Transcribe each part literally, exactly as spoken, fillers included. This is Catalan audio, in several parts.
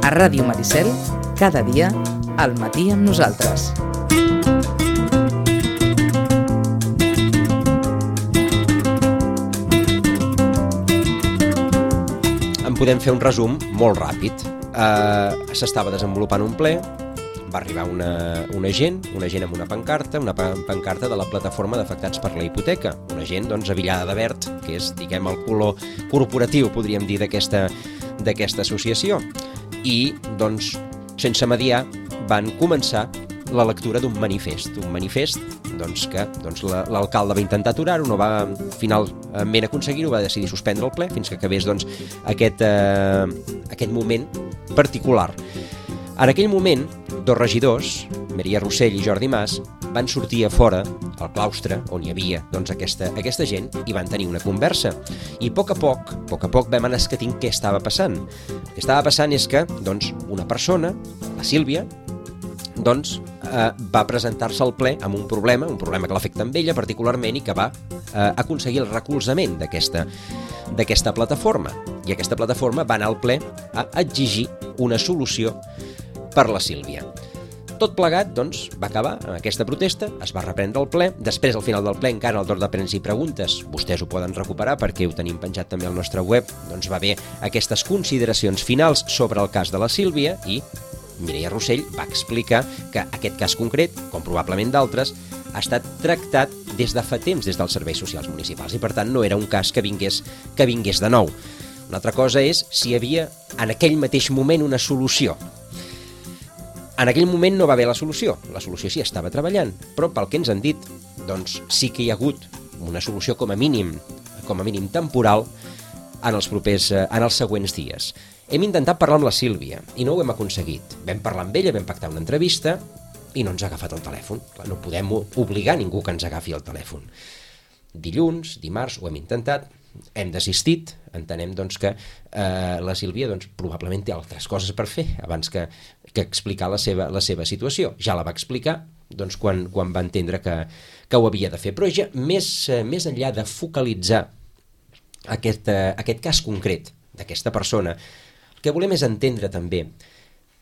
A Ràdio Maricel, cada dia, al matí amb nosaltres. En podem fer un resum molt ràpid. Uh, S'estava desenvolupant un ple, va arribar una, una gent, una gent amb una pancarta, una pancarta de la plataforma d'afectats per la hipoteca, una gent doncs avillada de verd, que és, diguem, el color corporatiu, podríem dir, d'aquesta d'aquesta associació. I, doncs, sense mediar, van començar la lectura d'un manifest, un manifest doncs, que doncs, l'alcalde va intentar aturar-ho, no va finalment aconseguir-ho, va decidir suspendre el ple fins que acabés doncs, aquest, eh, aquest moment particular. En aquell moment, dos regidors, Maria Rossell i Jordi Mas, van sortir a fora, al claustre, on hi havia doncs, aquesta, aquesta gent, i van tenir una conversa. I a poc a poc, a poc a poc vam anar escatint què estava passant. El que estava passant és que doncs, una persona, la Sílvia, doncs, eh, va presentar-se al ple amb un problema, un problema que l'afecta amb ella particularment i que va eh, aconseguir el recolzament d'aquesta d'aquesta plataforma. I aquesta plataforma va anar al ple a exigir una solució per la Sílvia. Tot plegat, doncs, va acabar amb aquesta protesta, es va reprendre el ple, després al final del ple encara el torn de preguntes i preguntes, vostès ho poden recuperar perquè ho tenim penjat també al nostre web, doncs va haver aquestes consideracions finals sobre el cas de la Sílvia i Mireia Rossell va explicar que aquest cas concret, com probablement d'altres, ha estat tractat des de fa temps des dels serveis socials municipals i per tant no era un cas que vingués, que vingués de nou. Una altra cosa és si hi havia en aquell mateix moment una solució. En aquell moment no va haver la solució, la solució sí estava treballant, però pel que ens han dit, doncs sí que hi ha hagut una solució com a mínim, com a mínim temporal en els propers, en els següents dies. Hem intentat parlar amb la Sílvia i no ho hem aconseguit. Vam parlar amb ella, vam pactar una entrevista i no ens ha agafat el telèfon. Clar, no podem obligar ningú que ens agafi el telèfon. Dilluns, dimarts, ho hem intentat, hem desistit, entenem doncs, que eh, la Sílvia doncs, probablement té altres coses per fer abans que, que explicar la seva, la seva situació. Ja la va explicar doncs, quan, quan va entendre que, que ho havia de fer. Però ja, més, eh, més enllà de focalitzar aquest, eh, aquest cas concret d'aquesta persona, el que volem és entendre també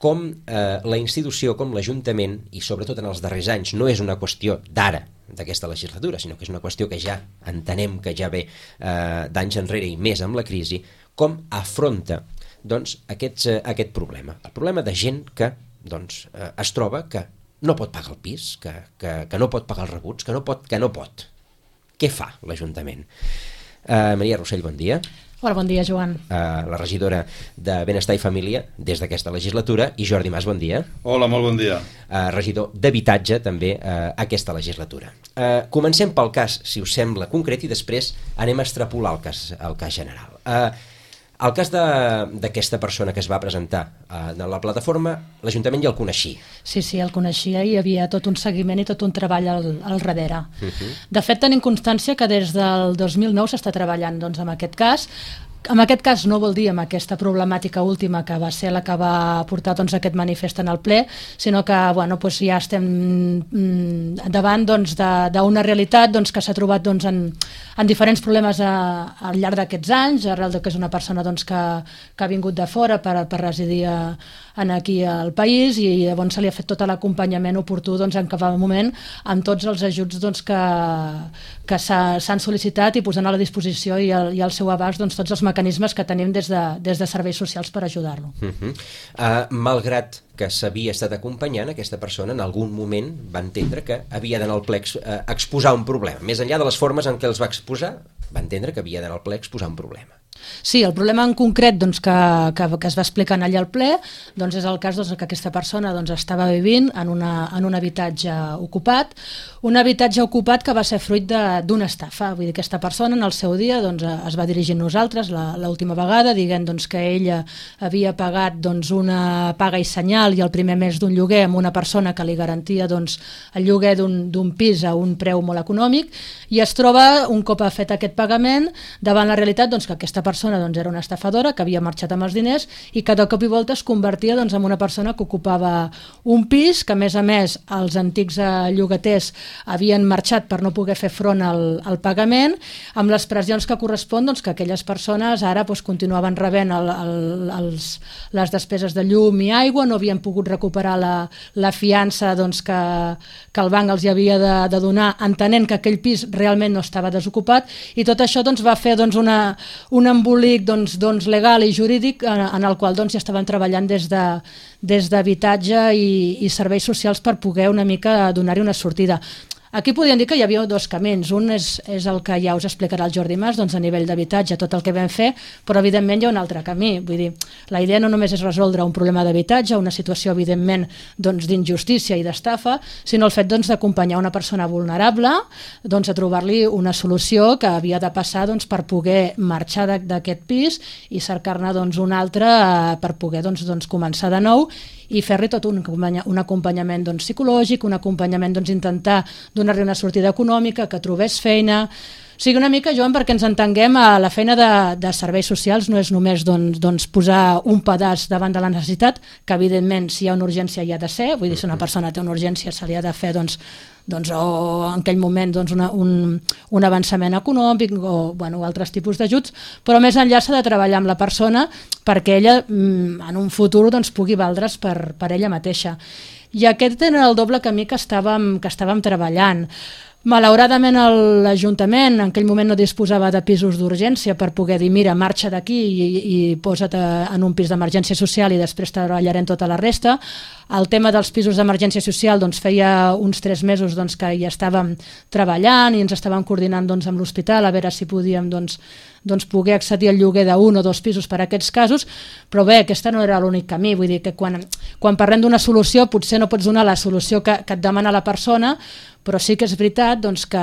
com eh, la institució, com l'Ajuntament, i sobretot en els darrers anys, no és una qüestió d'ara, d'aquesta legislatura, sinó que és una qüestió que ja entenem que ja ve eh, d'anys enrere i més amb la crisi, com afronta doncs, aquests, eh, aquest problema. El problema de gent que doncs, eh, es troba que no pot pagar el pis, que, que, que no pot pagar els rebuts, que no pot. Que no pot. Què fa l'Ajuntament? Eh, Maria Rossell, bon dia. Hola, bon dia, Joan. Uh, la regidora de Benestar i Família des d'aquesta legislatura, i Jordi Mas, bon dia. Hola, molt bon dia. Uh, regidor d'Habitatge, també, uh, aquesta legislatura. Uh, comencem pel cas, si us sembla, concret, i després anem a extrapolar el cas, el cas general. Uh, el cas d'aquesta persona que es va presentar uh, en la plataforma, l'Ajuntament ja el coneixia. Sí, sí, el coneixia i hi havia tot un seguiment i tot un treball al, al darrere. Uh-huh. De fet, tenim constància que des del dos mil nou s'està treballant doncs, amb aquest cas. En aquest cas no vol dir amb aquesta problemàtica última que va ser la que va portar doncs, aquest manifest en el ple, sinó que bueno, doncs ja estem mm, davant doncs, d'una realitat doncs, que s'ha trobat doncs, en, en diferents problemes a, al llarg d'aquests anys, arrel de que és una persona doncs, que, que ha vingut de fora per, per residir a, en aquí al país i llavors se li ha fet tot l'acompanyament oportú doncs, en cada moment amb tots els ajuts doncs, que, que s'han sol·licitat i posant a la disposició i al, i al seu abast doncs, tots els mecanismes que tenim des de, des de serveis socials per ajudar-lo. Uh-huh. uh, malgrat que s'havia estat acompanyant, aquesta persona en algun moment va entendre que havia d'anar al ple a exposar un problema. Més enllà de les formes en què els va exposar, va entendre que havia d'anar al ple a exposar un problema. Sí, el problema en concret doncs, que, que, que es va explicar allà al ple doncs, és el cas doncs, que aquesta persona doncs, estava vivint en, una, en un habitatge ocupat, un habitatge ocupat que va ser fruit d'una estafa. Vull dir, aquesta persona en el seu dia doncs, es va dirigir a nosaltres l'última vegada dient doncs, que ella havia pagat doncs, una paga i senyal i el primer mes d'un lloguer amb una persona que li garantia doncs, el lloguer d'un pis a un preu molt econòmic i es troba, un cop ha fet aquest pagament, davant la realitat doncs, que aquesta persona doncs, era una estafadora que havia marxat amb els diners i que de cop i volta es convertia doncs, en una persona que ocupava un pis, que a més a més els antics eh, llogaters havien marxat per no poder fer front al, al pagament, amb les pressions que correspon doncs, que aquelles persones ara doncs, continuaven rebent el, el, els, les despeses de llum i aigua, no havien pogut recuperar la, la fiança doncs, que, que el banc els hi havia de, de donar, entenent que aquell pis realment no estava desocupat, i tot això doncs, va fer doncs, una, un embolic doncs, doncs, legal i jurídic en, en el qual doncs, ja estaven treballant des de des d'habitatge i, i serveis socials per poder una mica donar-hi una sortida. Aquí podríem dir que hi havia dos camins. Un és, és el que ja us explicarà el Jordi Mas, doncs a nivell d'habitatge, tot el que vam fer, però evidentment hi ha un altre camí. Vull dir, la idea no només és resoldre un problema d'habitatge, una situació evidentment doncs, d'injustícia i d'estafa, sinó el fet doncs, d'acompanyar una persona vulnerable doncs, a trobar-li una solució que havia de passar doncs, per poder marxar d'aquest pis i cercar-ne doncs, un altre eh, per poder doncs, doncs, començar de nou i fer-li tot un, un acompanyament doncs, psicològic, un acompanyament doncs, intentar donar-li una sortida econòmica, que trobés feina. O sigui, una mica, Joan, perquè ens entenguem, a la feina de, de serveis socials no és només doncs, doncs, posar un pedaç davant de la necessitat, que evidentment si hi ha una urgència hi ha de ser, vull dir, si una persona té una urgència se li ha de fer doncs, doncs, o en aquell moment doncs, una, un, un avançament econòmic o bueno, altres tipus d'ajuts, però més enllà s'ha de treballar amb la persona perquè ella en un futur doncs, pugui valdre's per, per ella mateixa. I aquest era el doble camí que estàvem, que estàvem treballant. Malauradament l'Ajuntament en aquell moment no disposava de pisos d'urgència per poder dir mira, marxa d'aquí i, i posa't en un pis d'emergència social i després treballarem tota la resta. El tema dels pisos d'emergència social doncs, feia uns tres mesos doncs, que hi estàvem treballant i ens estàvem coordinant doncs, amb l'hospital a veure si podíem doncs, doncs, poder accedir al lloguer d'un o dos pisos per a aquests casos, però bé, aquesta no era l'únic camí, vull dir que quan, quan parlem d'una solució potser no pots donar la solució que, que et demana la persona, però sí que és veritat doncs, que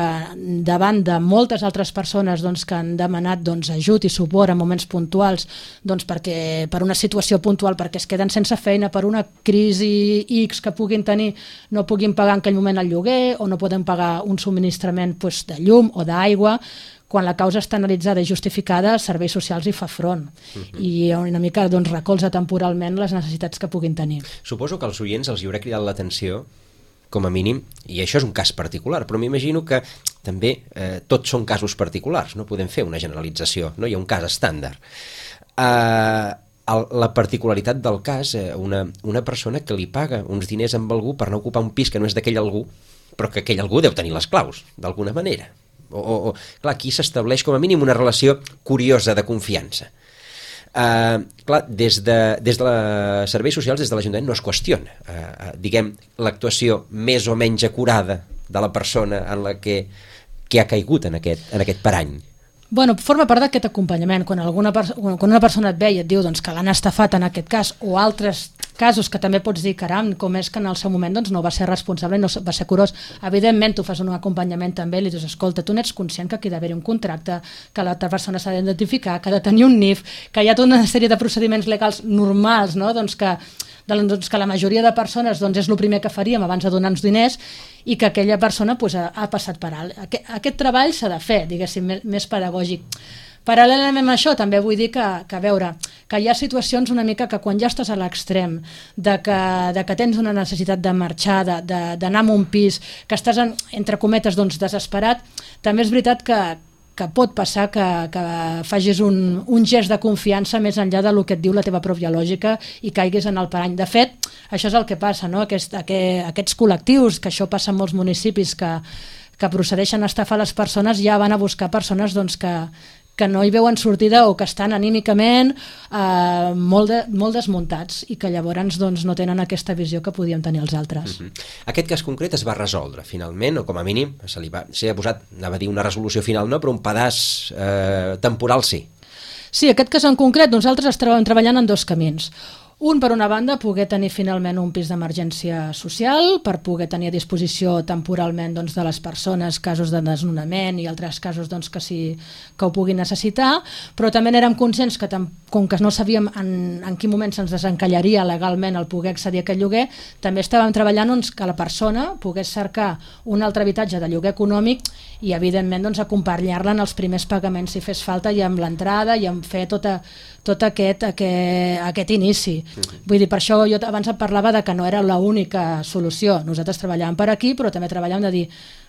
davant de moltes altres persones doncs, que han demanat doncs, ajut i suport en moments puntuals doncs, perquè, per una situació puntual, perquè es queden sense feina, per una crisi X que puguin tenir, no puguin pagar en aquell moment el lloguer o no poden pagar un subministrament doncs, de llum o d'aigua, quan la causa està analitzada i justificada, Serveis Socials hi fa front uh-huh. i una mica doncs, recolza temporalment les necessitats que puguin tenir. Suposo que als oients els hi haurà cridat l'atenció com a mínim, i això és un cas particular, però m'imagino que també eh, tots són casos particulars, no podem fer una generalització, no hi ha un cas estàndard. Eh, el, la particularitat del cas, eh, una, una persona que li paga uns diners amb algú per no ocupar un pis que no és d'aquell algú, però que aquell algú deu tenir les claus, d'alguna manera. O, o, o, clar, aquí s'estableix com a mínim una relació curiosa de confiança. Uh, clar, des de, des de la serveis socials, des de l'Ajuntament no es qüestiona uh, uh, diguem, l'actuació més o menys acurada de la persona en la que, que ha caigut en aquest, en aquest parany. Bueno, forma part d'aquest acompanyament. Quan, alguna quan una persona et ve i et diu doncs, que l'han estafat en aquest cas, o altres casos que també pots dir, caram, com és que en el seu moment doncs, no va ser responsable, no va ser curós. Evidentment, tu fas un acompanyament també i li dius, escolta, tu n'ets conscient que aquí ha d'haver-hi un contracte, que l'altra persona s'ha d'identificar, que ha de tenir un N I F, que hi ha tota una sèrie de procediments legals normals, no? doncs que doncs que la majoria de persones doncs, és el primer que faríem abans de donar-nos diners i que aquella persona doncs, ha, ha passat per alt. Aquest, aquest treball s'ha de fer, diguéssim, més, més pedagògic. Paral·lelament a això també vull dir que, que a veure, que hi ha situacions una mica que quan ja estàs a l'extrem de, que, de que tens una necessitat de marxar, d'anar a un pis, que estàs en, entre cometes doncs, desesperat, també és veritat que que pot passar que, que facis un, un gest de confiança més enllà del que et diu la teva pròpia lògica i caiguis en el parany. De fet, això és el que passa, no? Aquest, aquest, aquests col·lectius, que això passa en molts municipis que, que procedeixen a estafar les persones, ja van a buscar persones doncs, que, que no hi veuen sortida o que estan anímicament eh, molt, de, molt desmuntats i que llavors doncs, no tenen aquesta visió que podíem tenir els altres. Uh-huh. Aquest cas concret es va resoldre finalment, o com a mínim se li va, s'hi ha posat, anava a dir una resolució final no, però un pedaç eh, temporal sí. Sí, aquest cas en concret nosaltres estàvem treballant en dos camins. Un, per una banda, poder tenir finalment un pis d'emergència social, per poder tenir a disposició temporalment doncs, de les persones casos de desnonament i altres casos doncs, que, sí, que ho puguin necessitar, però també érem conscients que, com que no sabíem en, en quin moment se'ns desencallaria legalment el poder accedir a aquest lloguer, també estàvem treballant doncs, que la persona pogués cercar un altre habitatge de lloguer econòmic i, evidentment, doncs, acompanyar-la en els primers pagaments si fes falta i amb l'entrada i amb fer tota, tot aquest, aquest, aquest inici. Vull dir, per això jo abans et parlava de que no era l'única solució. Nosaltres treballàvem per aquí, però també treballàvem de dir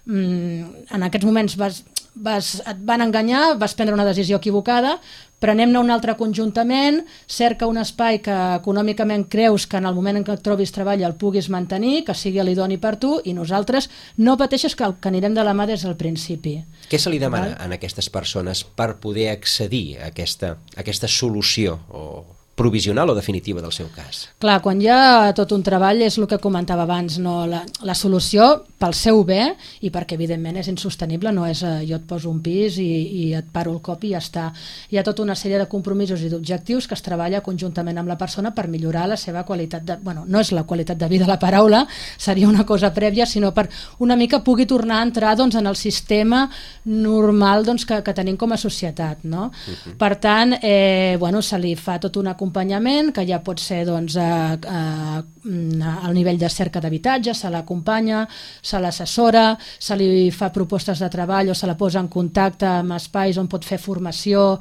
mmm, en aquests moments vas, vas, et van enganyar, vas prendre una decisió equivocada, prenem-ne un altre conjuntament, cerca un espai que econòmicament creus que en el moment en què et trobis treball el puguis mantenir, que sigui l'idoni per tu, i nosaltres no pateixes que, que anirem de la mà des del principi. Què se li demana a aquestes persones per poder accedir a aquesta, a aquesta solució o provisional o definitiva del seu cas? Clar, quan hi ha tot un treball és el que comentava abans, no? la, la solució pel seu bé i perquè evidentment és insostenible, no és eh, jo et poso un pis i, i et paro el cop i ja està. Hi ha tota una sèrie de compromisos i d'objectius que es treballa conjuntament amb la persona per millorar la seva qualitat de... Bueno, no és la qualitat de vida la paraula, seria una cosa prèvia, sinó per una mica pugui tornar a entrar doncs, en el sistema normal doncs, que, que tenim com a societat. No? Uh-huh. Per tant, eh, bueno, se li fa tot una acompanyament, que ja pot ser doncs, a, a, a, al nivell de cerca d'habitatge, se l'acompanya, se l'assessora, se li fa propostes de treball o se la posa en contacte amb espais on pot fer formació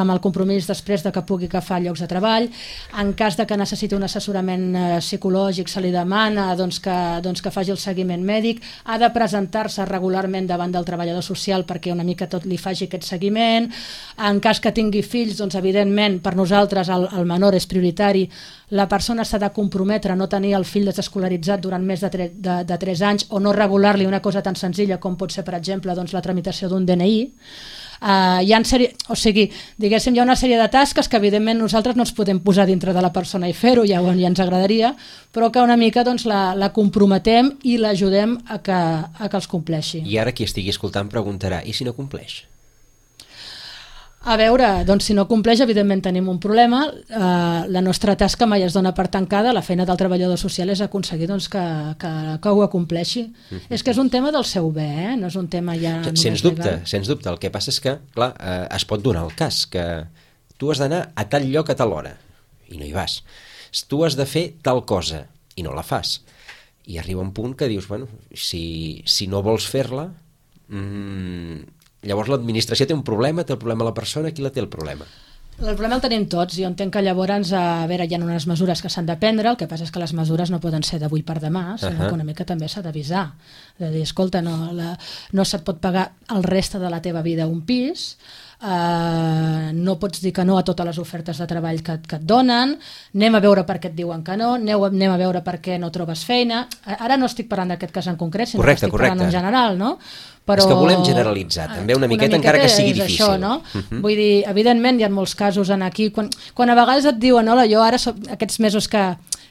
amb el compromís després de que pugui agafar llocs de treball. En cas de que necessiti un assessorament eh, psicològic se li demana doncs, que, doncs, que faci el seguiment mèdic, ha de presentar-se regularment davant del treballador social perquè una mica tot li faci aquest seguiment. En cas que tingui fills, doncs evidentment per nosaltres el, el menor és prioritari, la persona s'ha de comprometre a no tenir el fill desescolaritzat durant més de, tre de, de tres anys o no regular-li una cosa tan senzilla com pot ser, per exemple, doncs, la tramitació d'un D N I. Uh, hi ha sèrie, o sigui, diguéssim, hi ha una sèrie de tasques que evidentment nosaltres no ens podem posar dintre de la persona i fer-ho, ja, ja ens agradaria, però que una mica doncs, la, la comprometem i l'ajudem a, que, a que els compleixi. I ara qui estigui escoltant preguntarà, i si no compleix? A veure, doncs si no compleix, evidentment tenim un problema. Uh, la nostra tasca mai es dona per tancada, la feina del treballador social és aconseguir doncs, que, que, que ho acompleixi. Mm-hmm. És que és un tema del seu bé, eh? No és un tema ja... Sens dubte, sens dubte. El que passa és que, clar, eh, es pot donar el cas que tu has d'anar a tal lloc a tal hora i no hi vas. Tu has de fer tal cosa i no la fas. I arriba un punt que dius, bueno, si, si no vols fer-la... Mmm, llavors l'administració té un problema, té el problema la persona, qui la té el problema? El problema el tenim tots. Jo entenc que llavors a veure, hi ha unes mesures que s'han de prendre, el que passa és que les mesures no poden ser d'avui per demà, sinó uh-huh. que una mica també s'ha d'avisar. De dir, escolta, no, la, no se't pot pagar el reste de la teva vida un pis, Uh, no pots dir que no a totes les ofertes de treball que, que et donen, anem a veure per què et diuen que no, aneu, anem a veure per què no trobes feina. Ara no estic parlant d'aquest cas en concret, sinó correcte, que estic correcte. parlant en general, no? Però... És que volem generalitzar també una miqueta, una miqueta encara que sigui difícil. Això, no? uh-huh. Vull dir, evidentment hi ha molts casos en aquí, quan, quan a vegades et diuen, hola, jo ara soc, aquests mesos que,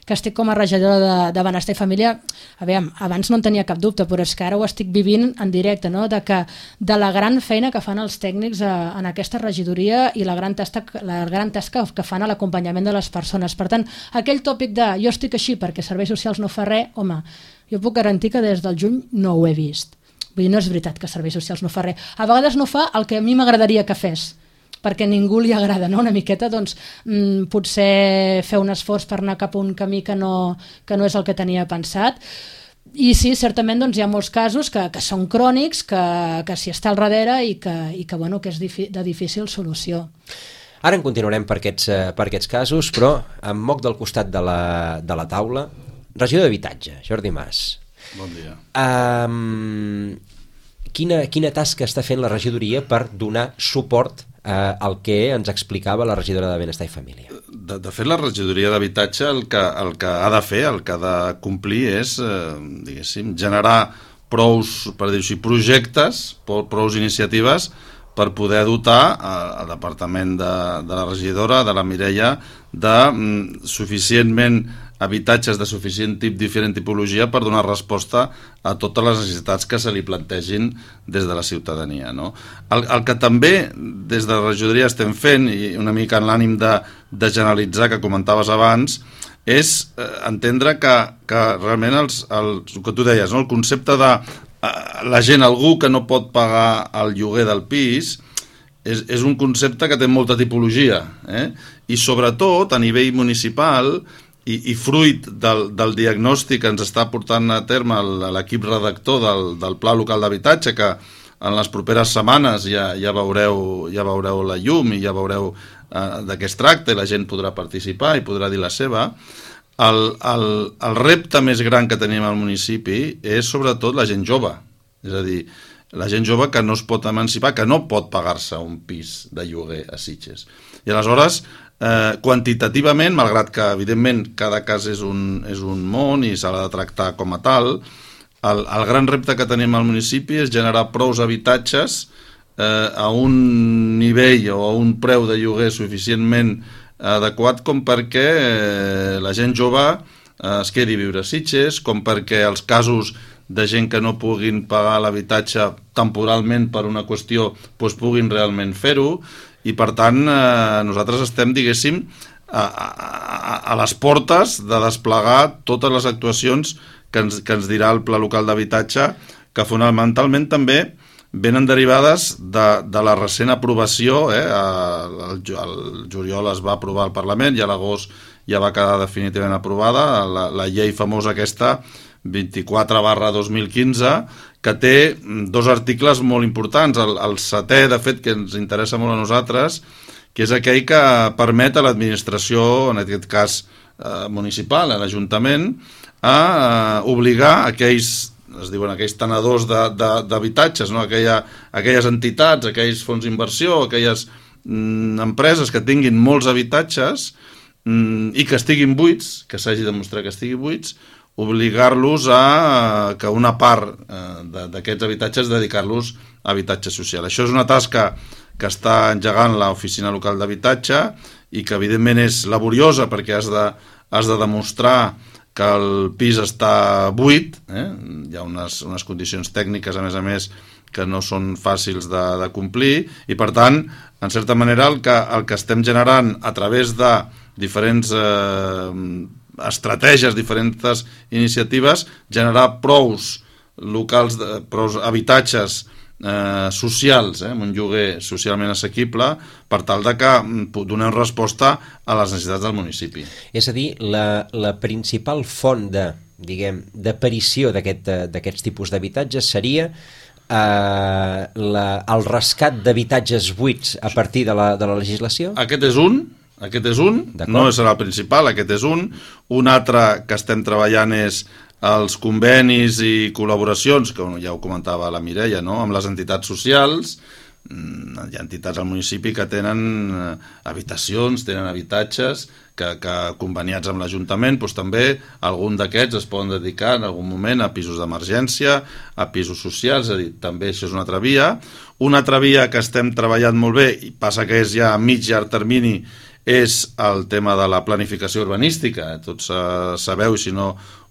que estic com a regidora de, de Benestar i Família, a veure, abans no en tenia cap dubte, però és que ara ho estic vivint en directe, no? De, que, de la gran feina que fan els tècnics a, en aquesta regidoria i la gran tasca, la gran tasca que fan a l'acompanyament de les persones. Per tant, aquell tòpic de jo estic així perquè serveis socials no fa res, home, jo puc garantir que des del juny no ho he vist. Vull dir, no és veritat que serveis socials no fa res. A vegades no fa el que a mi m'agradaria que fes, perquè a ningú li agrada, no? Una miqueta, doncs, mmm, potser fer un esforç per anar cap a un camí que no, que no és el que tenia pensat. I sí, certament doncs, hi ha molts casos que, que són crònics, que, que s'hi està al darrere i que, i que, bueno, que és de difícil solució. Ara en continuarem per aquests, per aquests casos, però em moc del costat de la, de la taula. Regidor d'Habitatge, Jordi Mas. Bon dia. Um, quina, quina tasca està fent la regidoria per donar suport uh, al que ens explicava la regidora de Benestar i Família? De, de fet, la regidoria d'Habitatge el, que, el que ha de fer, el que ha de complir és, eh, diguéssim, generar prous, per dir-ho així, projectes, prous iniciatives per poder dotar al departament de, de la regidora, de la Mireia, de mm, suficientment habitatges de suficient tip, diferent tipologia per donar resposta a totes les necessitats que se li plantegin des de la ciutadania, no? El, el que també des de la regidoria estem fent, i una mica en l'ànim de, de generalitzar que comentaves abans, és eh, entendre que, que realment els, el, el que tu deies, no? El concepte de eh, la gent, algú que no pot pagar el lloguer del pis, és, és un concepte que té molta tipologia, eh? I sobretot a nivell municipal i, i fruit del, del diagnòstic que ens està portant a terme l'equip redactor del, del Pla Local d'Habitatge, que en les properes setmanes ja, ja, veureu, ja veureu la llum i ja veureu eh, de què es tracta i la gent podrà participar i podrà dir la seva. El, el, el repte més gran que tenim al municipi és sobretot la gent jove, és a dir, la gent jove que no es pot emancipar, que no pot pagar-se un pis de lloguer a Sitges. I aleshores, eh, quantitativament, malgrat que evidentment cada cas és un, és un món i s'ha de tractar com a tal, el, el gran repte que tenim al municipi és generar prous habitatges eh, a un nivell o a un preu de lloguer suficientment adequat com perquè eh, la gent jove eh, es quedi a viure a Sitges, com perquè els casos de gent que no puguin pagar l'habitatge temporalment per una qüestió doncs puguin realment fer-ho, i per tant eh, nosaltres estem, diguéssim, a, a, a les portes de desplegar totes les actuacions que ens, que ens dirà el Pla Local d'Habitatge, que fonamentalment també venen derivades de, de la recent aprovació, eh? el, el juliol es va aprovar al Parlament i a l'agost ja va quedar definitivament aprovada la, la llei famosa aquesta vint-i-quatre barra dos mil quinze, que té dos articles molt importants. El, el setè, de fet, que ens interessa molt a nosaltres, que és aquell que permet a l'administració, en aquest cas eh, municipal, a l'Ajuntament, a eh, obligar aquells, es diuen aquells tenedors d'habitatges, no? Aquella, aquelles entitats, aquells fons d'inversió, aquelles mm, empreses que tinguin molts habitatges mm, i que estiguin buits, que s'hagi demostrat que estiguin buits, obligar-los a que una part eh, d'aquests habitatges dedicar-los a habitatge social. Això és una tasca que està engegant l'Oficina Local d'Habitatge i que evidentment és laboriosa perquè has de, has de demostrar que el pis està buit, eh? Hi ha unes, unes condicions tècniques a més a més que no són fàcils de, de complir i per tant, en certa manera el que, el que estem generant a través de diferents eh, estratègies, diferents iniciatives, generar prous locals, prous habitatges eh, socials, eh, amb un lloguer socialment assequible, per tal de que donem resposta a les necessitats del municipi. És a dir, la, la principal font de, diguem, d'aparició d'aquests tipus d'habitatges seria eh, la, el rescat d'habitatges buits a partir de la, de la legislació? Aquest és un, Aquest és un, no serà el principal, aquest és un. Un altre que estem treballant és els convenis i col·laboracions, que ja ho comentava la Mireia, no? Amb les entitats socials. Hi ha entitats al municipi que tenen habitacions, tenen habitatges que, que conveniats amb l'Ajuntament, doncs també algun d'aquests es poden dedicar en algun moment a pisos d'emergència, a pisos socials, és a dir, també això és una altra via. Una altra via que estem treballant molt bé, i passa que és ja a mig llarg termini, és el tema de la planificació urbanística. Tots eh, sabeu, i si no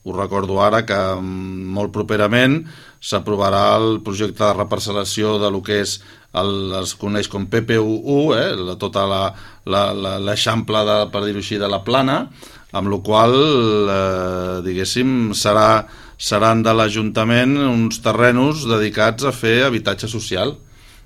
us recordo ara, que molt properament s'aprovarà el projecte de reparcel·lació de lo que és el, es coneix com P P U u, eh, la, tota l'eixample, per dir-ho així, de la plana, amb la qual eh, diguéssim, serà, seran de l'Ajuntament uns terrenos dedicats a fer habitatge social.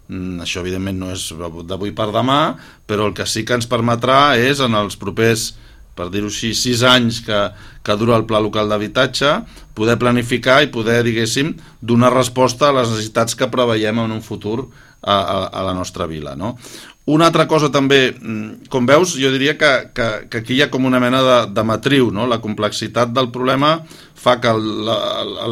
Això evidentment no és d'avui per demà, però el que sí que ens permetrà és en els propers, per dir-ho així, sis anys que, que dura el Pla Local d'Habitatge, poder planificar i poder, diguéssim, donar resposta a les necessitats que preveiem en un futur a, a, a la nostra vila, no? Una altra cosa també, com veus, jo diria que, que, que aquí hi ha com una mena de, de matriu, no? La complexitat del problema fa que la,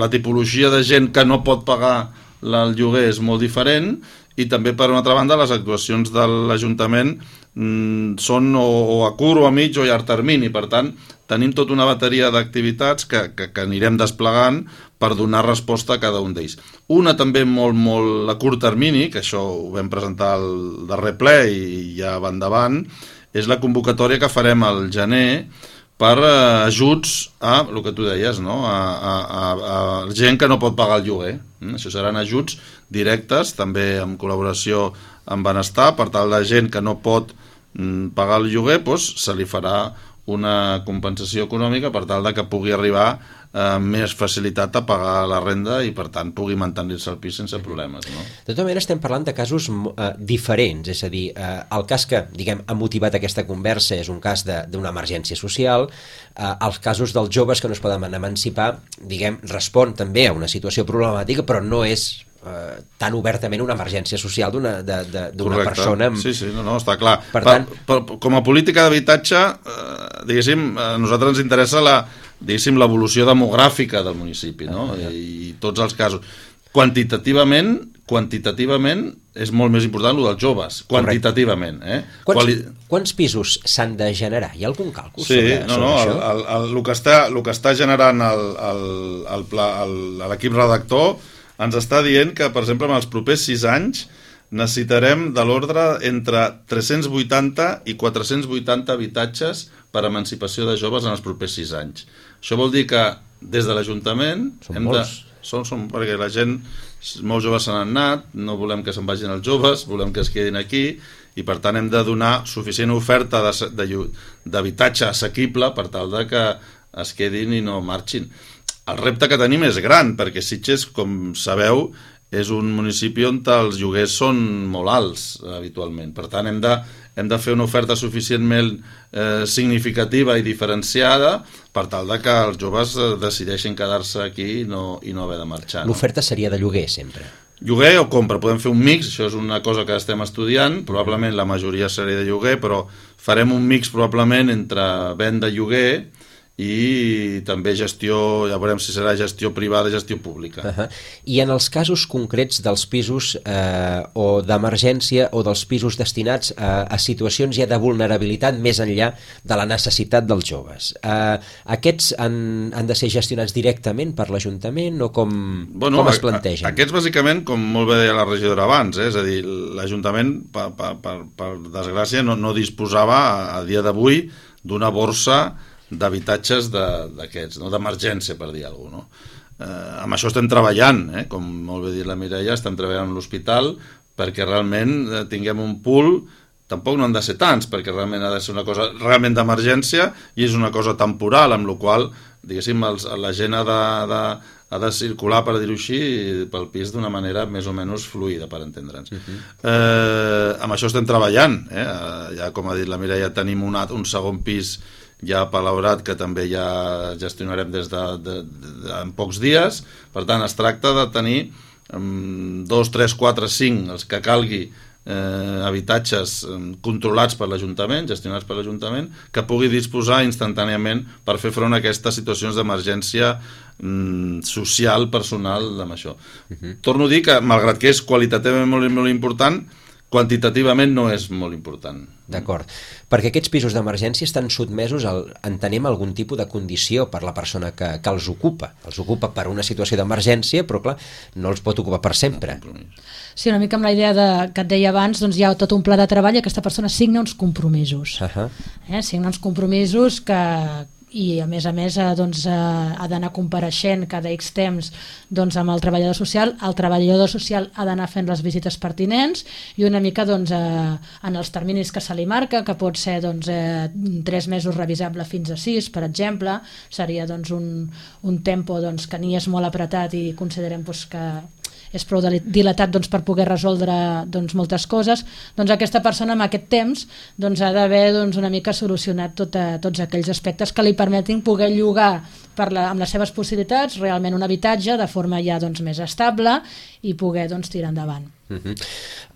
la tipologia de gent que no pot pagar el lloguer és molt diferent, i també, per una altra banda, les actuacions de l'Ajuntament mmm, són o, o a curt o a mig o a llarg termini. Per tant, tenim tota una bateria d'activitats que, que, que anirem desplegant per donar resposta a cada un d'ells. Una també molt, molt a curt termini, que això ho vam presentar al darrer ple i ja va endavant, és la convocatòria que farem al gener per eh, ajuts a, el que tu deies, no? a, a, a, a gent que no pot pagar el lloguer. Mm? Això seran ajuts directes, també en col·laboració amb Benestar, per tal de gent que no pot mm, pagar el lloguer, doncs, se li farà una compensació econòmica per tal de que pugui arribar eh, més facilitat a pagar la renda i per tant pugui mantenir-se al pis sense problemes, no? De tota manera estem parlant de casos eh, diferents, és a dir, eh, el cas que diguem ha motivat aquesta conversa és un cas d'una emergència social, eh, els casos dels joves que no es poden emancipar, diguem, respon també a una situació problemàtica, però no és eh, tan obertament una emergència social d'una persona amb... Sí, sí, no, no, està clar. Per tant... per, per, com a política d'habitatge, eh, diguéssim, a nosaltres ens interessa la, diguéssim, l'evolució demogràfica del municipi, no? Ah, ja. I, I tots els casos. Quantitativament, quantitativament és molt més important el dels joves, quantitativament. Eh? Quants, Quali... quants pisos s'han de generar? Hi ha algun càlcul sí, sobre, no, sobre no, això? El, el, el, el, que està, el que està generant l'equip redactor ens està dient que, per exemple, en els propers sis anys necessitarem de l'ordre entre tres-cents vuitanta i quatre-cents vuitanta habitatges per emancipació de joves en els propers sis anys. Això vol dir que des de l'Ajuntament... Són hem molts. De, són, són, perquè la gent, molts joves se n'han anat, no volem que se'n vagin els joves, volem que es quedin aquí, i per tant hem de donar suficient oferta d'habitatge assequible per tal de que es quedin i no marxin. El repte que tenim és gran, perquè Sitges, com sabeu, és un municipi on els lloguers són molt alts habitualment. Per tant, hem de, hem de fer una oferta suficientment eh, significativa i diferenciada per tal de que els joves eh, decideixin quedar-se aquí i no, i no haver de marxar. No? L'oferta seria de lloguer, sempre. Lloguer o compra, podem fer un mix, això és una cosa que estem estudiant, probablement la majoria seria de lloguer, però farem un mix probablement entre venda i lloguer i també gestió, ja veurem si serà gestió privada i gestió pública. Uh-huh. I en els casos concrets dels pisos eh, o d'emergència o dels pisos destinats a, a situacions ja de vulnerabilitat més enllà de la necessitat dels joves, eh, aquests han, han de ser gestionats directament per l'Ajuntament o com, bueno, com es plantegen? A, aquests bàsicament, com molt bé deia la regidora abans, eh, és a dir, l'Ajuntament per, per, per, per desgràcia no, no disposava a, a dia d'avui d'una borsa d'habitatges d'aquests, no? D'emergència, per dir alguna cosa. No? Eh, amb això estem treballant, eh? Com molt bé dit la Mireia, estem treballant amb l'hospital perquè realment eh, tinguem un pool, tampoc no han de ser tants, perquè realment ha de ser una cosa realment d'emergència i és una cosa temporal, amb la qual, diguéssim, els, la gent ha de, de, ha de circular, per dir-ho així, pel pis d'una manera més o menys fluida, per entendre'ns. Uh-huh. eh, amb això estem treballant, eh? Ja, com ha dit la Mireia, tenim un, un segon pis ja palaurat que també ja gestionarem des de, de, de, de en pocs dies. Per tant, es tracta de tenir um, dos, tres, quatre, cinc, els que calgui, eh, habitatges um, controlats per l'Ajuntament, gestionats per l'Ajuntament, que pugui disposar instantàniament per fer front a aquestes situacions d'emergència um, social, personal, amb això. Uh-huh. Torno a dir que, malgrat que és qualitativament molt, molt important, quantitativament no és molt important. D'acord, perquè aquests pisos d'emergència estan sotmesos al, entenem, algun tipus de condició per la persona que, que els ocupa. Els ocupa per una situació d'emergència, però clar, no els pot ocupar per sempre. Sí, una mica amb la idea de, que et deia abans, doncs hi ha tot un pla de treball i aquesta persona signa uns compromisos. Uh-huh. eh, signa uns compromisos que... i a més a més eh, doncs, eh, ha d'anar compareixent cada X temps doncs, amb el treballador social. El treballador social ha d'anar fent les visites pertinents i una mica doncs, eh, en els terminis que se li marca, que pot ser doncs, eh, tres mesos revisable fins a sis, per exemple, seria doncs, un, un tempo doncs, que ni és molt apretat i considerem doncs, que és prou dilatat doncs, per poder resoldre doncs, moltes coses. Doncs aquesta persona amb aquest temps doncs, ha d'haver doncs, una mica solucionat tot, a, tots aquells aspectes que li permetin poder llogar per la, amb les seves possibilitats realment un habitatge de forma ja doncs, més estable i poder doncs, tirar endavant. Uh-huh.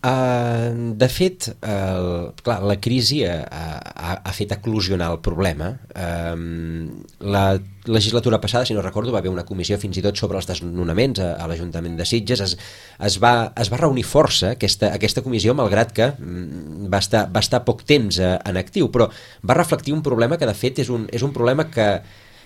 Uh, de fet, uh, clar, la crisi ha, ha, ha fet eclosionar el problema. Uh, la legislatura passada, si no recordo, va haver una comissió fins i tot sobre els desnonaments a, a l'Ajuntament de Sitges. Es, es, va, es va reunir força aquesta, aquesta comissió, malgrat que mm, va, estar, va estar poc temps uh, en actiu, però va reflectir un problema que de fet és un, és un problema que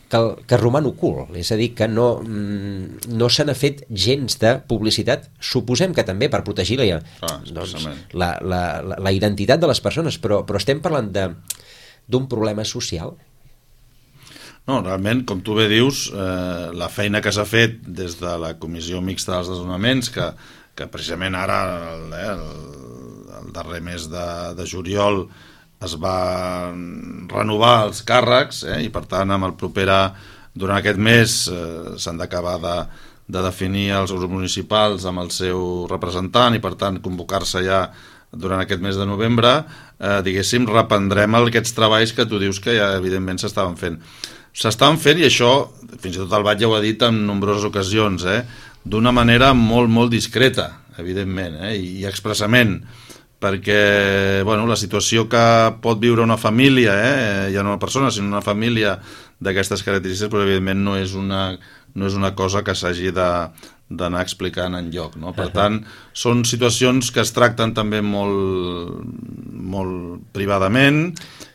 que, que roman ocult, és a dir, que no, no se n'ha fet gens de publicitat, suposem que també per protegir la, ah, doncs, la, la, la identitat de les persones, però, però estem parlant d'un problema social? No, realment, com tu bé dius, eh, la feina que s'ha fet des de la Comissió Mixta dels Desnonaments, que, que precisament ara, el, eh, el, el darrer mes de, de juliol, es va renovar els càrrecs, eh, i per tant, amb el propera, durant aquest mes, eh, s'han d'acabar de, de definir els grups municipals amb el seu representant i per tant convocar-se ja durant aquest mes de novembre, eh, diguéssim, reprendrem aquests treballs que tu dius que ja evidentment s'estaven fent. S'estaven fent, i això, fins i tot el Bat ja ho ha dit en nombroses ocasions, eh, d'una manera molt, molt discreta, evidentment, eh, i expressament, perquè bueno, la situació que pot viure una família, eh, ja no una persona, sinó una família d'aquestes característiques, però evidentment no és una, no és una cosa que s'hagi de d'anar explicant en lloc, no? Per tant, són situacions que es tracten també molt, molt privadament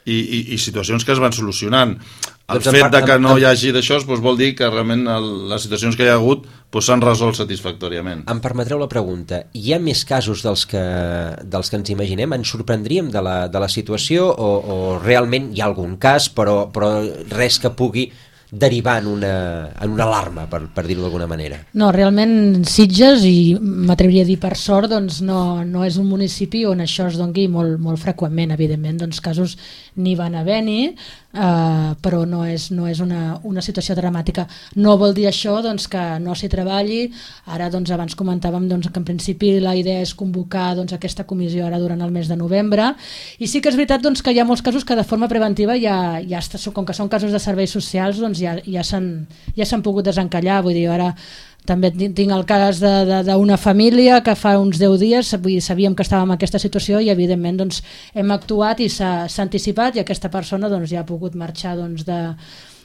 i, i, i situacions que es van solucionant. El doncs fet part, de que no em, hi hagi d'això doncs vol dir que realment el, les situacions que hi ha hagut s'han doncs resolt satisfactòriament. Em permetreu la pregunta, hi ha més casos dels que, dels que ens imaginem? Ens sorprendríem de la, de la situació o, o realment hi ha algun cas però, però res que pugui derivar en una, en una alarma, per, per dir-ho d'alguna manera? No, realment Sitges, i m'atreviria a dir per sort, doncs no, no és un municipi on això es doni molt, molt freqüentment. Evidentment, doncs casos n'hi van haver-hi, eh, però no és, no és una, una situació dramàtica. No vol dir això doncs, que no s'hi treballi. Ara, doncs, abans comentàvem doncs, que en principi la idea és convocar doncs, aquesta comissió ara durant el mes de novembre, i sí que és veritat doncs, que hi ha molts casos que de forma preventiva ja, ja està, com que són casos de serveis socials, doncs ja, ja s'han ja s'han pogut desencallar. Vull dir, ara també tinc el cas d'una família que fa uns deu dies vull dir, sabíem que estàvem en aquesta situació i evidentment doncs, hem actuat i s'ha anticipat i aquesta persona doncs, ja ha pogut marxar doncs, de,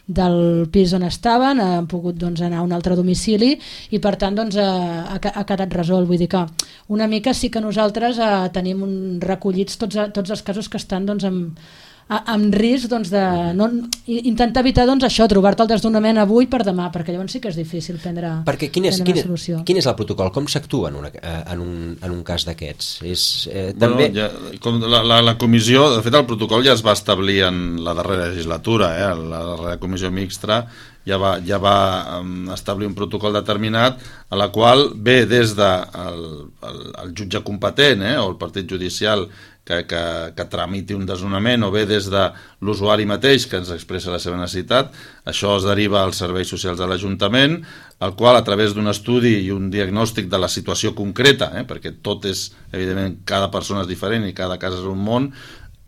del pis on estaven, han pogut doncs, anar a un altre domicili i per tant doncs, ha, ha quedat resolt. Vull dir que una mica sí que nosaltres eh, tenim un, recollits tots, tots els casos que estan doncs, amb amb risc doncs, de no, intentar evitar doncs, això, trobar-te el desnonament avui per demà, perquè llavors sí que és difícil prendre, perquè quin és, prendre quin, una solució. Quin és el protocol? Com s'actua en, una, en, un, en un cas d'aquests? És, eh, també... bueno, ja, com la, la, la comissió, de fet el protocol ja es va establir en la darrera legislatura, eh? La darrera comissió mixta ja va, ja va um, establir un protocol determinat a la qual ve des de el, el, el jutge competent, eh? O el partit judicial que, que, que tramiti un desnonament, o bé des de l'usuari mateix que ens expressa la seva necessitat. Això es deriva als serveis socials de l'Ajuntament, el qual a través d'un estudi i un diagnòstic de la situació concreta, eh, perquè tot és, evidentment, cada persona és diferent i cada cas és un món,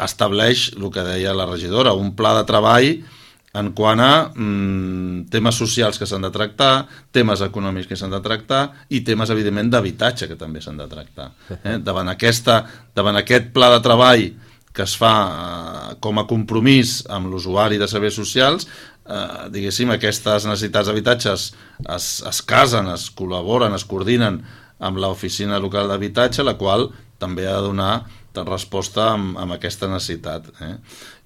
estableix el que deia la regidora, un pla de treball en quant a mm, temes socials que s'han de tractar, temes econòmics que s'han de tractar i temes, evidentment, d'habitatge que també s'han de tractar. Eh? Davant, aquesta, davant aquest pla de treball que es fa eh, com a compromís amb l'usuari de serveis socials, eh, diguéssim, aquestes necessitats d'habitatges es, es casen, es col·laboren, es coordinen amb l'oficina local d'habitatge, la qual també ha de donar resposta amb, amb aquesta necessitat. Eh?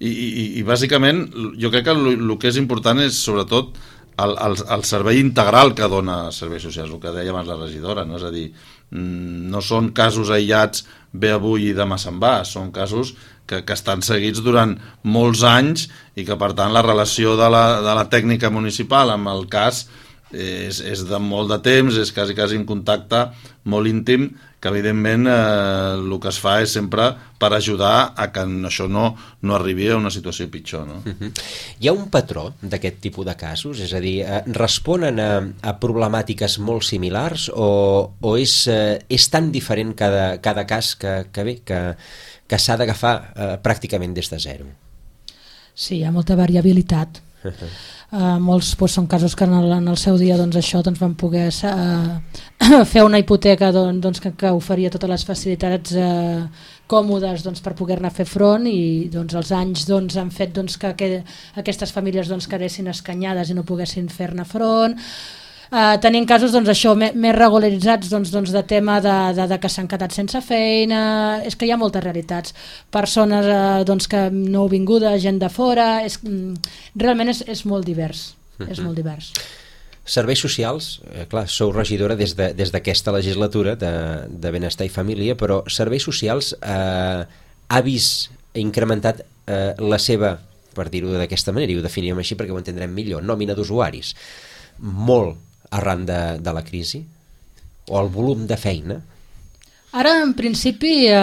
I, i, I bàsicament jo crec que el, el que és important és sobretot el, el, el servei integral que dona serveis socials, el que deia abans la regidora, no? És a dir, no són casos aïllats ve avui i demà se'n va, són casos que, que estan seguits durant molts anys i que per tant la relació de la, de la tècnica municipal amb el cas és, és de molt de temps, és quasi, quasi un contacte molt íntim que evidentment eh, el que es fa és sempre per ajudar a que això no, no arribi a una situació pitjor. No? Uh-huh. Hi ha un patró d'aquest tipus de casos? És a dir, eh, responen a, a problemàtiques molt similars o, o és, eh, és tan diferent cada, cada cas que, que bé, que, que s'ha d'agafar eh, pràcticament des de zero? Sí, hi ha molta variabilitat. Uh-huh. Uh, molts doncs, són casos que en el, en el seu dia doncs, això doncs, van poder uh, fer una hipoteca doncs, que, que oferia totes les facilitats uh, còmodes doncs, per poder-ne fer front i doncs, els anys doncs, han fet doncs, que, que aquestes famílies doncs, quedessin escanyades i no poguessin fer-ne front. Uh, tenim casos doncs, això, més, més regularitzats doncs, doncs, de tema de, de, de que s'han quedat sense feina. És que hi ha moltes realitats, persones uh, doncs, que no vingudes, gent de fora, és, realment és, és molt divers, uh-huh. és molt divers. Serveis socials, eh, clar, sou regidora des de, des d'aquesta legislatura de, de Benestar i Família, però Serveis Socials eh, ha vist incrementat eh, la seva per dir-ho d'aquesta manera, i ho definim així perquè ho entendrem millor, nòmina d'usuaris, molt arran de, de la crisi, o el volum de feina? Ara, en principi, eh,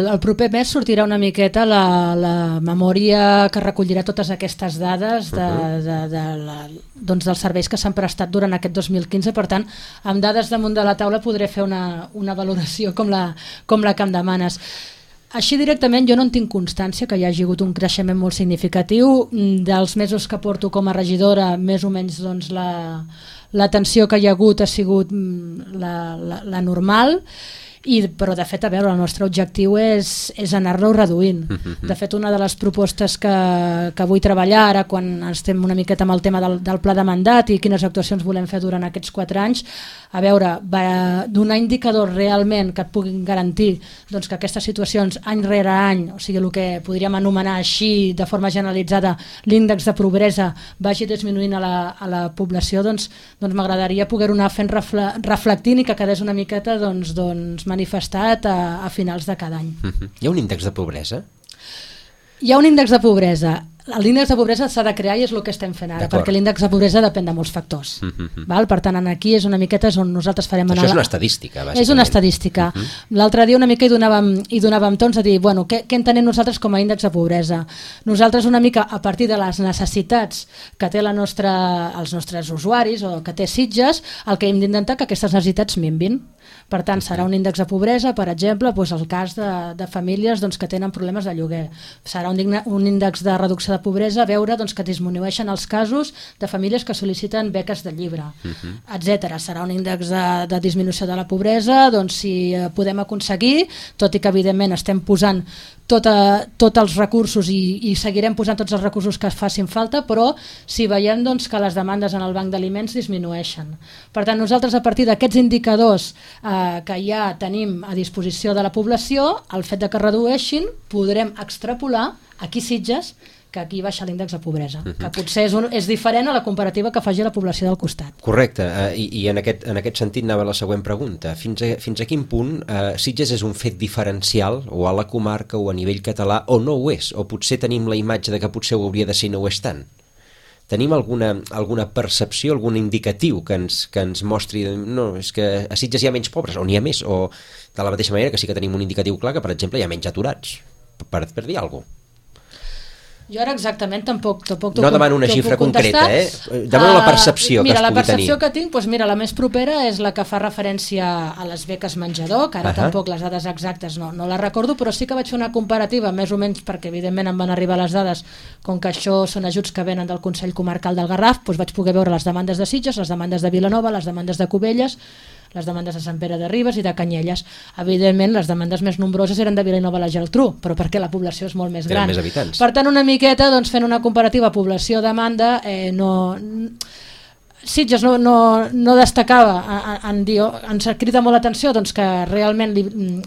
el proper mes sortirà una miqueta la, la memòria que recollirà totes aquestes dades de, de, de la, doncs dels serveis que s'han prestat durant aquest dos mil quinze. Per tant, amb dades damunt de la taula podré fer una, una valoració com la, com la que em demanes. Així directament jo no en tinc constància que hi hagi hagut un creixement molt significatiu. Dels mesos que porto com a regidora, més o menys doncs, la, la tensió que hi ha hagut ha sigut la, la, la normal. I, però de fet, a veure, el nostre objectiu és, és anar-lo reduint. De fet, una de les propostes que, que vull treballar ara, quan estem una miqueta amb el tema del, del pla de mandat i quines actuacions volem fer durant aquests quatre anys, a veure, va donar indicadors realment que et puguin garantir doncs, que aquestes situacions any rere any, o sigui, el que podríem anomenar així de forma generalitzada l'índex de pobresa vagi disminuint a la, a la població, doncs, doncs m'agradaria poder-ho anar fent refle, reflectint i que quedés una miqueta doncs, doncs, manifestat a, a finals de cada any. Uh-huh. Hi ha un índex de pobresa? Hi ha un índex de pobresa. L'índex de pobresa s'ha de crear i és el que estem fent ara, perquè l'índex de pobresa depèn de molts factors. Uh-huh. Val? Per tant, aquí és una miqueta és on nosaltres farem... Això és una estadística, bàsicament. És una estadística. Uh-huh. L'altre dia una mica hi donàvem, hi donàvem tons a dir, bueno, què, què entenem nosaltres com a índex de pobresa? Nosaltres una mica a partir de les necessitats que té la nostra, els nostres usuaris o que té Sitges, el que hem d'intentar que aquestes necessitats minvin. Per tant, serà un índex de pobresa, per exemple, doncs el cas de, de famílies doncs, que tenen problemes de lloguer. Serà un, digna, un índex de reducció de pobresa, veure doncs, que disminueixen els casos de famílies que sol·liciten beques de llibre, uh-huh. etcètera. Serà un índex de, de disminució de la pobresa, doncs si podem aconseguir, tot i que evidentment estem posant tots tot els recursos i, i seguirem posant tots els recursos que facin falta, però si veiem doncs, que les demandes en el banc d'aliments disminueixen. Per tant, nosaltres a partir d'aquests indicadors eh, que ja tenim a disposició de la població, el fet de que redueixin, podrem extrapolar aquí Sitges que aquí baixa l'índex de pobresa, uh-huh. que potser és, un, és diferent a la comparativa que faci la població del costat. Correcte, uh, i, i en, aquest, en aquest sentit anava la següent pregunta. Fins a, fins a quin punt uh, Sitges és un fet diferencial o a la comarca o a nivell català o no ho és? O potser tenim la imatge de que potser ho hauria de ser i no ho és tant? Tenim alguna, alguna percepció, algun indicatiu que ens, que ens mostri no, és que a Sitges hi ha menys pobres o n'hi ha més, o de la mateixa manera que sí que tenim un indicatiu clar que per exemple hi ha menys aturats, per, per dir alguna cosa. Jo ara exactament tampoc... tampoc no demano una xifra concreta, eh? Demano la percepció uh, mira, que es pugui tenir. Mira, la percepció tenir. que tinc, doncs mira, la més propera és la que fa referència a les beques menjador, que ara uh-huh. tampoc les dades exactes no, no les recordo, però sí que vaig fer una comparativa, més o menys perquè evidentment em van arribar les dades, com que això són ajuts que venen del Consell Comarcal del Garraf, doncs vaig poder veure les demandes de Sitges, les demandes de Vilanova, les demandes de Cubelles, les demandes de Sant Pere de Ribes i de Canyelles. Evidentment, les demandes més nombroses eren de Vilanova i la Geltrú, però perquè la població és molt més gran. Més habitants. Per tant, una miqueta, doncs, fent una comparativa població-demanda, eh, no... Sitges no, no, no destacava en, en dir, ens crida molt l'atenció doncs, que realment li,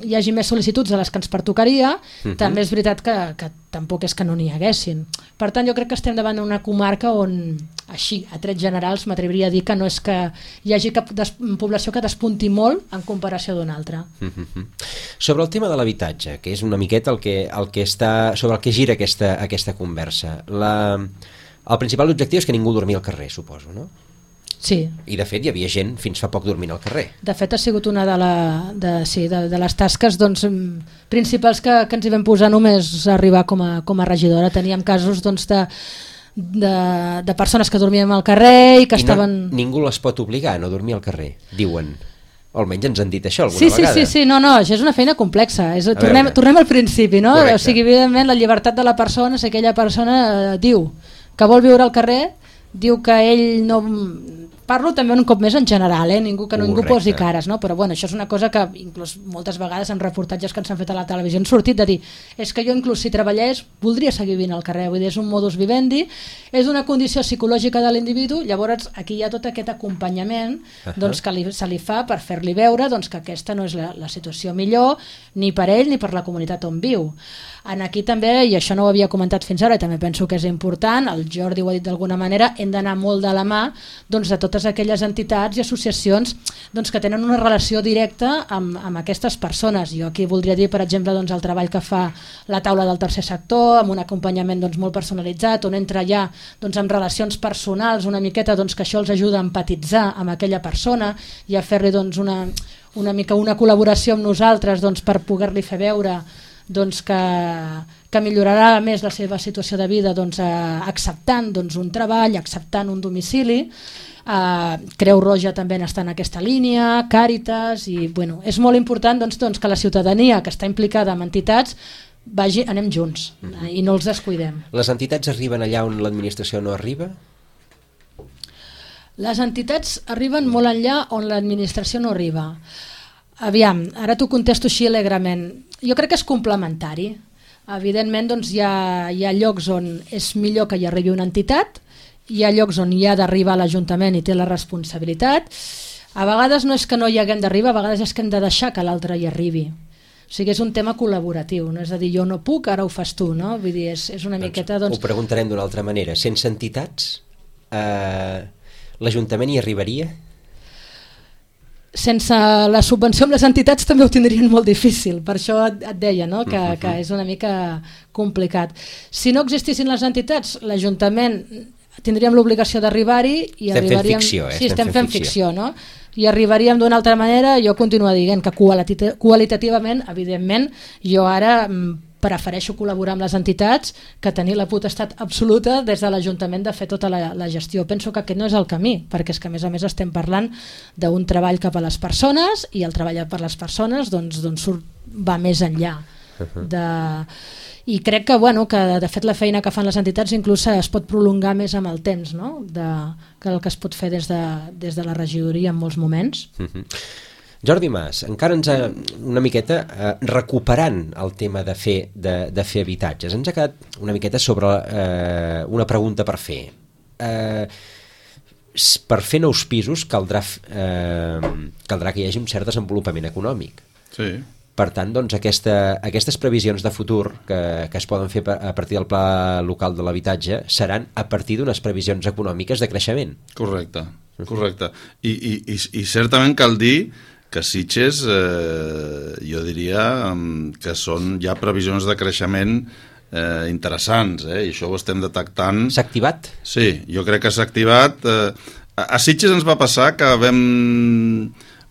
hi hagi més sol·licituds de les que ens pertocaria, uh-huh. també és veritat que, que tampoc és que no n'hi haguessin. Per tant, jo crec que estem davant d'una comarca on, així, a trets generals, m'atreviria a dir que no és que hi hagi cap des, població que despunti molt en comparació d'una altra. Uh-huh. Sobre el tema de l'habitatge, que és una miqueta el que, el que està, sobre el que gira aquesta, aquesta conversa, la, el principal objectiu és que ningú dormi al carrer, suposo, no? Sí. I de fet hi havia gent fins fa poc dormint al carrer. De fet ha sigut una de, la, de, sí, de, de les tasques doncs, principals que, que ens hi vam posar només arribar com a, com a regidora. Teníem casos doncs, de, de, de persones que dormien al carrer i que I estaven... No, ningú les pot obligar a no dormir al carrer, diuen. O almenys ens han dit això alguna sí, vegada. Sí, sí, sí, no, no, això és una feina complexa. És, tornem, tornem al principi, no? Correcte. O sigui, evidentment, la llibertat de la persona, si aquella persona eh, diu que vol viure al carrer, diu que ell no... Parlo també un cop més en general, eh? ningú que ningú posi cares, no? Però bueno, això és una cosa que inclús moltes vegades en reportatges que ens han fet a la televisió han sortit de dir, és que jo inclús si treballés voldria seguir vivint al carrer, vull dir, és un modus vivendi, és una condició psicològica de l'individu, llavors aquí hi ha tot aquest acompanyament uh-huh. doncs, que li, se li fa per fer-li veure doncs, que aquesta no és la, la situació millor ni per ell ni per la comunitat on viu. En aquí també, i això no ho havia comentat fins ara i també penso que és important, el Jordi ho ha dit d'alguna manera, hem d'anar molt de la mà doncs, de tot totes aquelles entitats i associacions doncs, que tenen una relació directa amb, amb aquestes persones. Jo aquí voldria dir, per exemple, doncs, el treball que fa la taula del tercer sector, amb un acompanyament doncs, molt personalitzat, on entra ja doncs, amb relacions personals una miqueta doncs, que això els ajuda a empatitzar amb aquella persona i a fer-li doncs, una, una mica una col·laboració amb nosaltres doncs, per poder-li fer veure doncs, que, que millorarà més la seva situació de vida doncs, eh, acceptant doncs, un treball, acceptant un domicili. eh, Creu Roja també està en aquesta línia, Càritas, i bueno, és molt important doncs, doncs, que la ciutadania que està implicada en entitats vagi, anem junts eh, i no els descuidem. Les entitats arriben allà on l'administració no arriba? Les entitats arriben molt enllà on l'administració no arriba. Aviam, ara t'ho contesto així alegrement. Jo crec que és complementari. Evidentment doncs, hi, ha, hi ha llocs on és millor que hi arribi una entitat, hi ha llocs on hi ha d'arribar l'Ajuntament i té la responsabilitat. A vegades no és que no hi haguem d'arribar, a vegades és que hem de deixar que l'altre hi arribi. O sigui, és un tema col·laboratiu, no? És a dir, jo no puc, ara ho fas tu, no? Vull dir, és, és una doncs, miqueta... Doncs... Ho preguntarem d'una altra manera. Sense entitats, eh, l'Ajuntament hi arribaria? Sense la subvenció amb les entitats també ho tindrien molt difícil, per això et, et deia no? que, que és una mica complicat. Si no existissin les entitats, l'Ajuntament tindríem l'obligació d'arribar-hi i estem arribaríem... fent ficció, eh? Sí, estem, estem fent ficció, ficció no? I arribaríem d'una altra manera. Jo continuo dient que qualitativament, evidentment, jo ara prefereixo col·laborar amb les entitats que tenir la potestat absoluta des de l'Ajuntament de fer tota la, la gestió. Penso que aquest no és el camí, perquè és que a més a més estem parlant d'un treball cap a les persones i el treball per les persones doncs, doncs surt, va més enllà de... I crec que, bueno, que de fet la feina que fan les entitats inclús es pot prolongar més amb el temps, no? de, que el que es pot fer des de, des de la regidoria en molts moments. Uh-huh. Jordi Mas, encara ens ha una miqueta eh, recuperant el tema de fer, de, de fer habitatges. Ens ha quedat una miqueta sobre eh, una pregunta per fer. Eh, per fer nous pisos caldrà, eh, caldrà que hi hagi un cert desenvolupament econòmic. Sí. Per tant, doncs, aquesta, aquestes previsions de futur que, que es poden fer a partir del pla local de l'habitatge seran a partir d'unes previsions econòmiques de creixement. Correcte, correcte. I, i, i, i certament cal dir que Sitges, eh, jo diria que són ja previsions de creixement eh, interessants, eh, i això ho estem detectant. S'ha activat? Sí, jo crec que s'ha activat. Eh, a, a Sitges ens va passar que vam...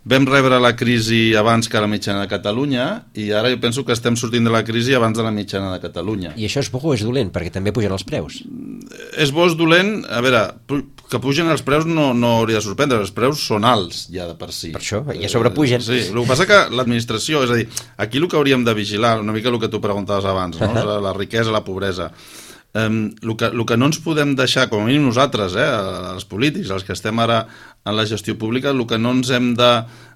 Vam rebre la crisi abans que la mitjana de Catalunya i ara jo penso que estem sortint de la crisi abans de la mitjana de Catalunya. I això és bo o és dolent? Perquè també pugen els preus. És bo o és dolent? A veure, que pugen els preus no, no hauria de sorprendre, els preus són alts ja de per si. Per això, ja sobrepugen. Sí, el que passa que l'administració, és a dir, aquí el que hauríem de vigilar, una mica el que tu preguntaves abans, no? Uh-huh. La riquesa, la pobresa. Um, el, que, el que no ens podem deixar, com a mínim nosaltres, eh, els polítics, els que estem ara en la gestió pública, el que no ens hem de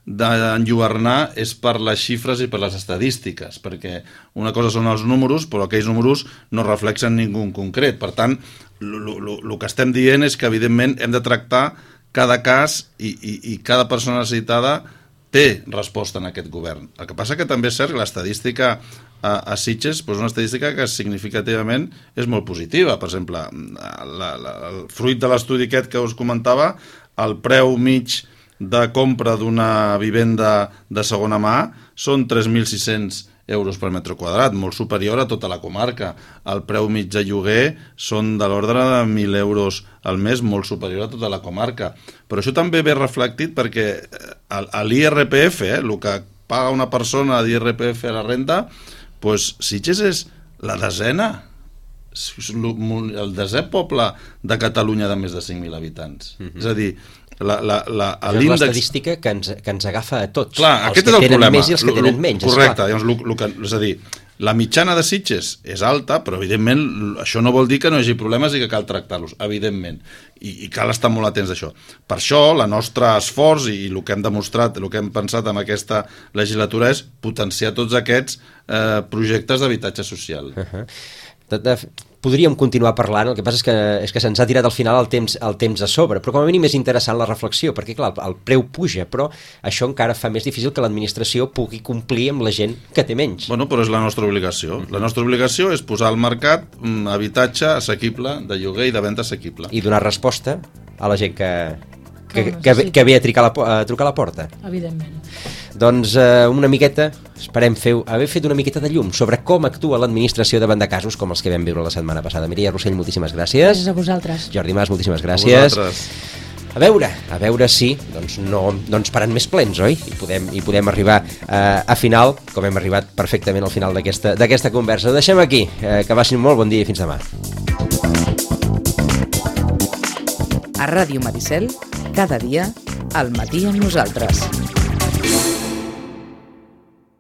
d'enlluernar és per les xifres i per les estadístiques, perquè una cosa són els números, però aquells números no reflexen ningú en concret. Per tant, el que estem dient és que evidentment hem de tractar cada cas i, i, i cada persona necessitada té resposta en aquest govern. El que passa que també és cert que l'estadística a, a Sitges és una estadística que significativament és molt positiva. Per exemple, la, la, el fruit de l'estudi aquest que us comentava, el preu mig de compra d'una vivenda de segona mà són tres mil sis-cents euros per metre quadrat, molt superior a tota la comarca. El preu mig de lloguer són de l'ordre de mil euros al mes, molt superior a tota la comarca. Però això també ve reflectit perquè a l'I R P F, eh, el que paga una persona d'I R P F a la renta, doncs Sitges és la desena, el desè poble de Catalunya de més de cinc mil habitants. Mm-hmm. És a dir, La, la, la, és l'estadística que ens, que ens agafa a tots. Clar, els aquest que és el tenen problema. Més i els que tenen menys. Correcte, llavors, lo, lo que, és a dir, la mitjana de Sitges és alta, però evidentment això no vol dir que no hi hagi problemes i que cal tractar-los, evidentment, i, i cal estar molt atents a això. Per això, el nostre esforç i, i el que hem demostrat, el que hem pensat en aquesta legislatura és potenciar tots aquests eh, projectes d'habitatge social. Uh-huh. De, de, podríem continuar parlant, el que passa és que, és que se'ns ha tirat al final el temps, el temps a sobre, però com a mínim és interessant la reflexió, perquè clar, el, el preu puja, però això encara fa més difícil que l'administració pugui complir amb la gent que té menys. Bueno, però és la nostra obligació. Uh-huh. La nostra obligació és posar al mercat un habitatge assequible, de lloguer i de venda assequible. I donar resposta a la gent que, que, que, que, que ve a trucar, la, a trucar a la porta. Evidentment. Doncs eh, una miqueta, esperem fer, haver fet una miqueta de llum sobre com actua l'administració davant de casos com els que vam viure la setmana passada. Mireia Rossell, moltíssimes gràcies. Gràcies a vosaltres. Jordi Mas, moltíssimes gràcies. Vosaltres. A veure, a veure si doncs no, no ens paran més plens, oi? I podem, i podem arribar eh, a final, com hem arribat perfectament al final d'aquesta d'aquesta conversa. Ho deixem aquí, eh, que vagin molt bon dia i fins demà. A Ràdio Maricel, cada dia, al matí amb nosaltres.